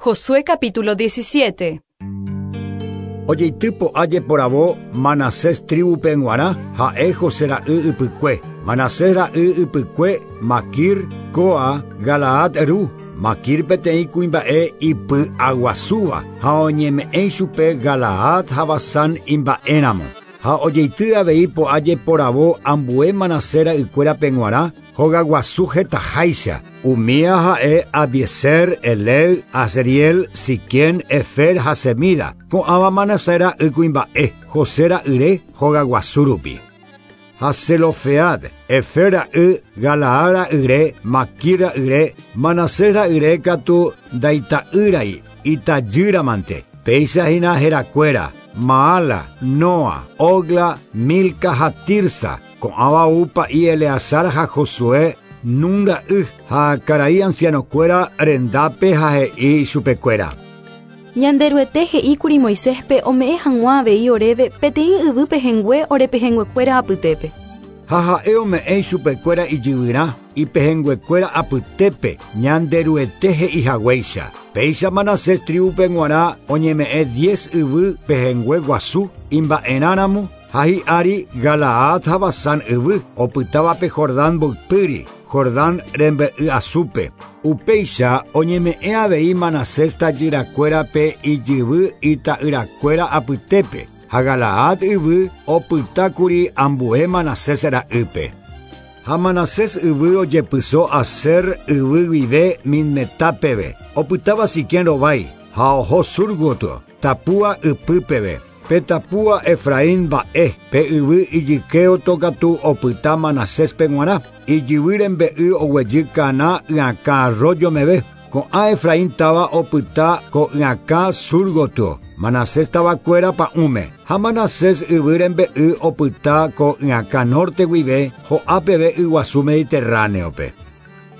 Josué capítulo 17. Ojeity po'a jeporavo Manasés tríbupe g̃uarã, ha'e José ra'y ypykue. Manasés ra'y ypykue, Makir, kóa Galaad ru. Makir peteĩ kuimba'e ipy'aguasúva ha oñeme'ẽ ichupe Galaad ha Basán imba'éramo. Ha ojeity avei po'a jeporavo ambue Manasés ra'ykuérape g̃uarã, hogaguasu hetaháicha, umía ha'e Abiezer, Helec, Asriel, Siquem, Hefer ha Semida, ko'ãva Manasés ra'y kuimba'e, José ra'yre hogaguasu rupi. Ha Zelofehad, Hefer ra'y, Galaad ra'yre, Maquir ra'yre, Manasés ra'yre katu ndaita'ýrai, itajýramante, péicha hína herakuéra, Maala, Noa, Hogla, Milca ha Tirsa, Ko'ãva ou pa'i Eleazar ha Josué, Nun ra'y, ha karai ansianokuéra rendápe ha he'i ichupekuéra. Ñanderuete he'íkuri Moiséspe ome'ẽ hag̃ua avei oréve peteĩ yvy pehẽngue ore pehẽnguekuéra apytépe. Ha ha'e ome'ẽ ichupekuéra ijyvyrã, ipehẽnguekuéra apytépe, Ñanderuete he'i haguéicha. Péicha Manasés tríbupe g̃uarã oñeme'ẽ diez yvy pehẽngue guasu imba'erãramo, Ha hi'ári Galaad ha Basán yvy, opytáva pe Jordán mboypýri, Jordán rembe'y asúpe. Upéicha oñeme'ẽ avei Manasés tajyrakuérape ijyvy ita'yrakuéra apytépe, ha Galaad yvy opytákuri ambue Manasés ra'ýpe. Ha Manasés yvy ojepyso Aser yvy guive Micmetá peve, opytáva Siquem rovái, ha oho sur gotyo, Tapúa ypy peve. Pe Tapúa Efraín mba'e, pe yvy ijykéoto katu opyta Manaséspe g̃uarã, ijyvy rembe'y oguejy Caná yakã arroyo meve. Ko'ã Efraín táva opyta ko yakã sur gotyo, Manasés tavakuéra pa'ũme. Ha Manasés yvy rembe'y opyta ko yakã norte guive ho'a peve yguasu Mediterráneope.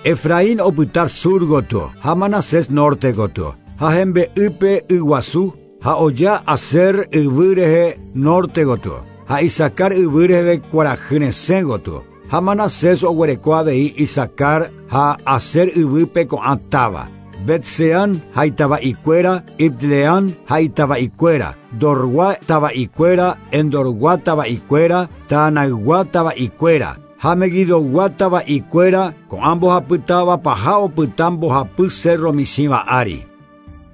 Efraín opyta sur gotyo ha Manasés norte gotyo, ha hembe'ýpe yguasu, Ha oja Aser yvy rehe nórte gotyo, ha Isacar yvy reheve kuarahy resẽ gotyo. Ha Manasés oguereko avei Isacar ha Aser yvýpe ko'ã táva, Bet-Seán ha itava'ikuéra, Ibleam ha itava'ikuéra, Dorgua tava'ikuéra, Endorgua tava'ikuéra, Taanaygua tava'ikuéra, ha Meguidogua tava'ikuéra, ko'ã mbohapy táva paha opyta mbohapy sérro michĩva ári.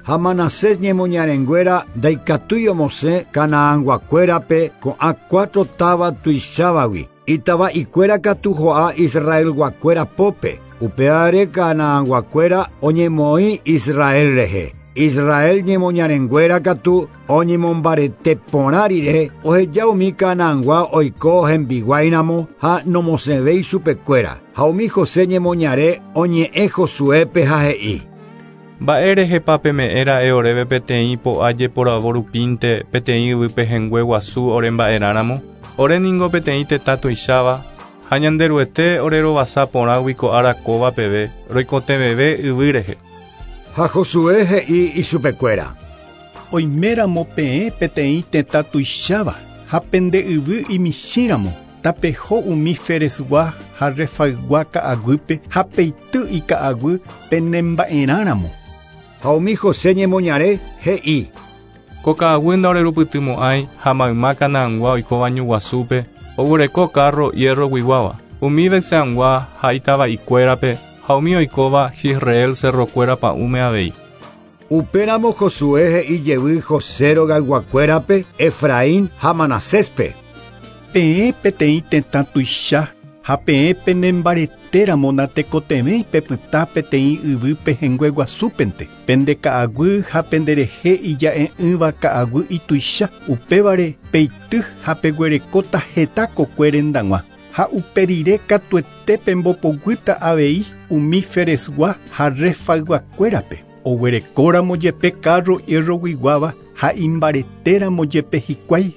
Ha Manasés ñemoñarenguéra ndaikatúi omosẽ Canaanguakuérape ko'ã cuatro táva tuichávagui, itava'ikuéra katu ho'a Israelguakuéra pópe, upévare Canaanguakuéra oñemoĩ Israel rehe. Israel ñemoñarenguéra katu oñemombarete porã rire oheja umi Canaangua oiko hembiguáiramo ha nomosẽvéi chupekuéra. Ha umi José ñemoñare oñe'ẽ Josuépe ha he'i. Mba'e rehepa peme'ẽ ra'e oréve peteĩ po'a jeporavo rupínte peteĩ yvy pehẽngue guasu ore mba'erã ramo? Ore ningo peteĩ tetã tuicháva, ha Ñanderuete ore rovasa porãgui ko ára kóva peve, roikotevẽve yvy rehe. Ha Josué he'i ichupekuéra. Oiméramo peẽ peteĩ tetã tuicháva ha pende yvy imichĩramo, Tapeho umi Feresgua ha Refaygua ka'aguýpe ha peity ika'aguy penemba'erã ramo. Ha umi José ñemoñare he'i. Ko ka'aguy ndaorerupytymo'ãi ha mayma Canaangua oikóva ñu guasúpe, oguereko kárro hierro guiguáva, umi Betseangua ha itava'ikuérape ha umi oikóva Jisreel cerrokuéra pa'ũme avei. Upéramo Josué he'i jevy José rogayguakuérape, Efraín ha Manaséspe. Peẽ peteĩ tetã tuicha ha peẽ penembaretéramo natekotevẽi pepyta peteĩ yvy pehẽngue guasúpente, pende ka'aguy ha penderehe ija'e'ỹva ka'aguy ituicha, upévare peity ha peguerekóta heta kokue rendag̃ua. Ha upe rire katuete pembopoguýta avei umi Feresgua ha Refayguakuérape. Oguerekóramo jepe kárro hierroguiguáva ha imbaretéramo jepe hikuái,